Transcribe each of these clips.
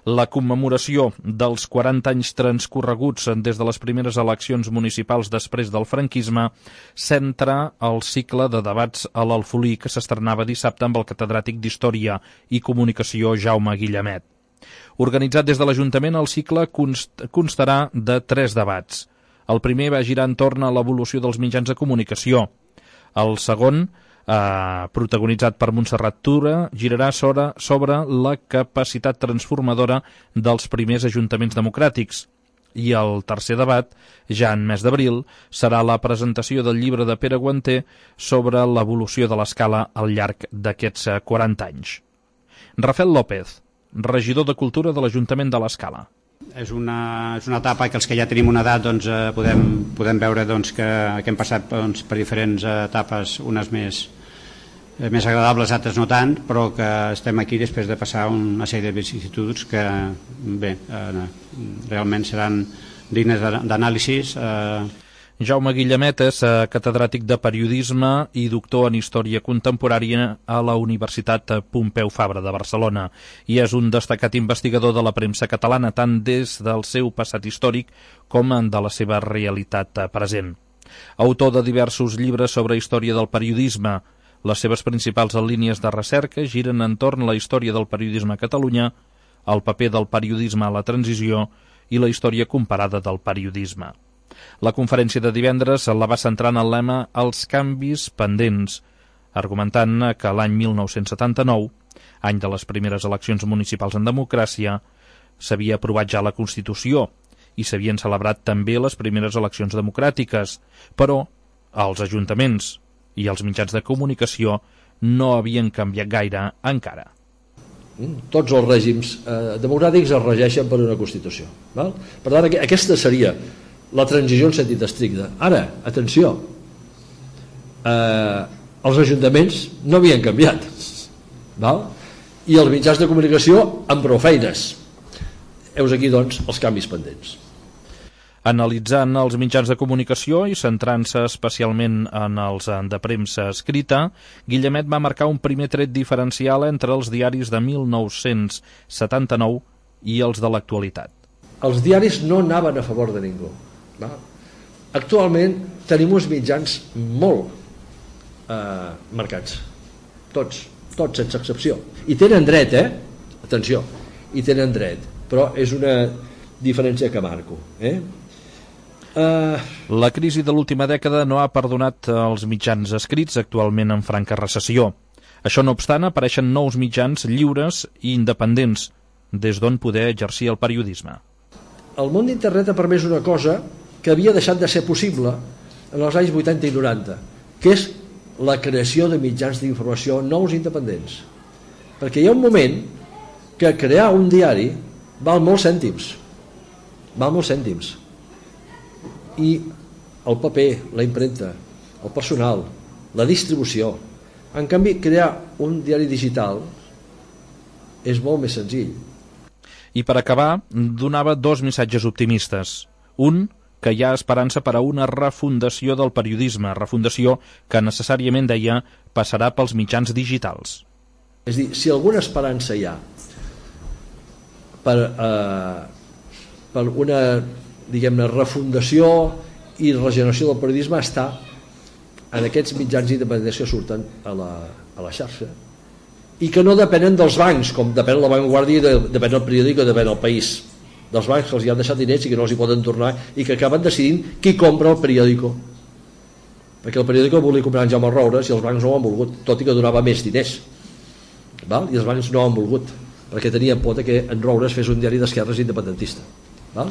La commemoració dels 40 anys transcorreguts des de les primeres eleccions municipals després del franquisme centra el cicle de debats a l'Alfolí que s'estrenava dissabte amb el catedràtic d'Història i Comunicació Jaume Guillamet. Organitzat des de l'Ajuntament, el cicle constarà de 3 debats. El primer va girar entorn a l'evolució dels mitjans de comunicació. El segon, protagonitzat per Montserrat Tura, girarà sobre la capacitat transformadora dels primers ajuntaments democràtics. I el tercer debat, ja en mes d'abril, serà la presentació del llibre de Pere Guanter sobre l'evolució de l'escala al llarg d'aquests 40 anys. Rafael López, regidor de Cultura de l'Ajuntament de l'Escala. És una etapa que els que ja tenim una edat podem veure que hem passat per diferents etapes, unes més agradables, altres no tant, però que estem aquí després de passar una sèrie de vicissituds que realment seran dignes d'anàlisis. Jaume Guillamet és catedràtic de Periodisme i doctor en Història Contemporània a la Universitat Pompeu Fabra de Barcelona i és un destacat investigador de la premsa catalana tant des del seu passat històric com de la seva realitat present. Autor de diversos llibres sobre història del periodisme, les seves principals línies de recerca giren entorn la història del periodisme a Catalunya, el paper del periodisme a la transició i la història comparada del periodisme. La conferència de divendres la va centrar en el lema «Els canvis pendents», argumentant que l'any 1979, any de les primeres eleccions municipals en democràcia, s'havia aprovat ja la Constitució i s'havien celebrat també les primeres eleccions democràtiques, però els ajuntaments i els mitjans de comunicació no havien canviat gaire encara. Tots els règims democràtics es regeixen per una Constitució. Val? Per tant, aquesta seria la transició en sentit estricte. Ara, atenció, els ajuntaments no havien canviat, val? I els mitjans de comunicació amb prou feines. Heus aquí, doncs, els canvis pendents. Analitzant els mitjans de comunicació i centrant-se especialment en els de premsa escrita, Guillamet va marcar un primer tret diferencial entre els diaris de 1979 i els de l'actualitat. Els diaris no anaven a favor de ningú. Actualment tenim uns mitjans molt marcats, tots sense excepció, i tenen dret, atenció, i tenen dret, però és una diferència que marco. La crisi de l'última dècada no ha perdonat els mitjans escrits, actualment en franca recessió. Això no obstant, apareixen nous mitjans lliures i independents des d'on poder exercir el periodisme. El món d'internet ha permès una cosa que havia deixat de ser possible en els anys 80 i 90, que és la creació de mitjans d'informació nous independents. Perquè hi ha un moment que crear un diari val molts cèntims. I el paper, la impremta, el personal, la distribució. En canvi, crear un diari digital és molt més senzill. I per acabar, donava 2 missatges optimistes. Un, que hi ha esperança per a una refundació del periodisme, refundació que necessàriament, deia, passarà pels mitjans digitals. És a dir, si alguna esperança hi ha per una, diguem-ne, refundació i regeneració del periodisme està en aquests mitjans independents que surten a la xarxa i que no depenen dels bancs, com depèn la Vanguardia, depèn el periòdic o depèn el País, dels bancs que els hi han deixat diners i que no els hi poden tornar i que acaben decidint qui compra el periòdico, perquè el periòdico el volia comprar en Jaume Roures i els bancs no ho han volgut, tot i que donava més diners, val? I els bancs no ho han volgut perquè tenien por que en Roures fes un diari d'esquerres independentista. Val?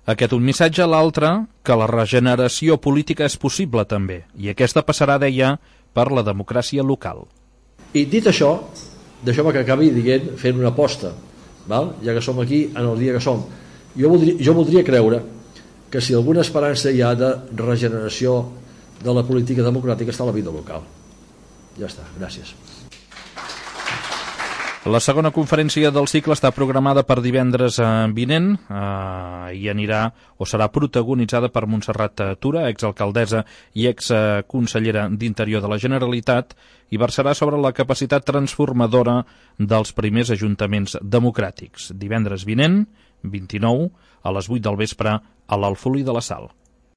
Aquest un missatge, l'altre, que la regeneració política és possible també, i aquesta passarà, deia, per la democràcia local. I dit això, deixeu-me que acabi dient, fent una aposta, val? Ja que som aquí en el dia que som. Jo voldria creure que si alguna esperança hi ha de regeneració de la política democràtica està a la vida local. Ja està, gràcies. La segona conferència del cicle està programada per divendres vinent i anirà o serà protagonitzada per Montserrat Tura, exalcaldessa i exconsellera d'Interior de la Generalitat, i versarà sobre la capacitat transformadora dels primers ajuntaments democràtics. Divendres vinent, 29, a les 8 del vespre, a l'Alfolí de la Sal.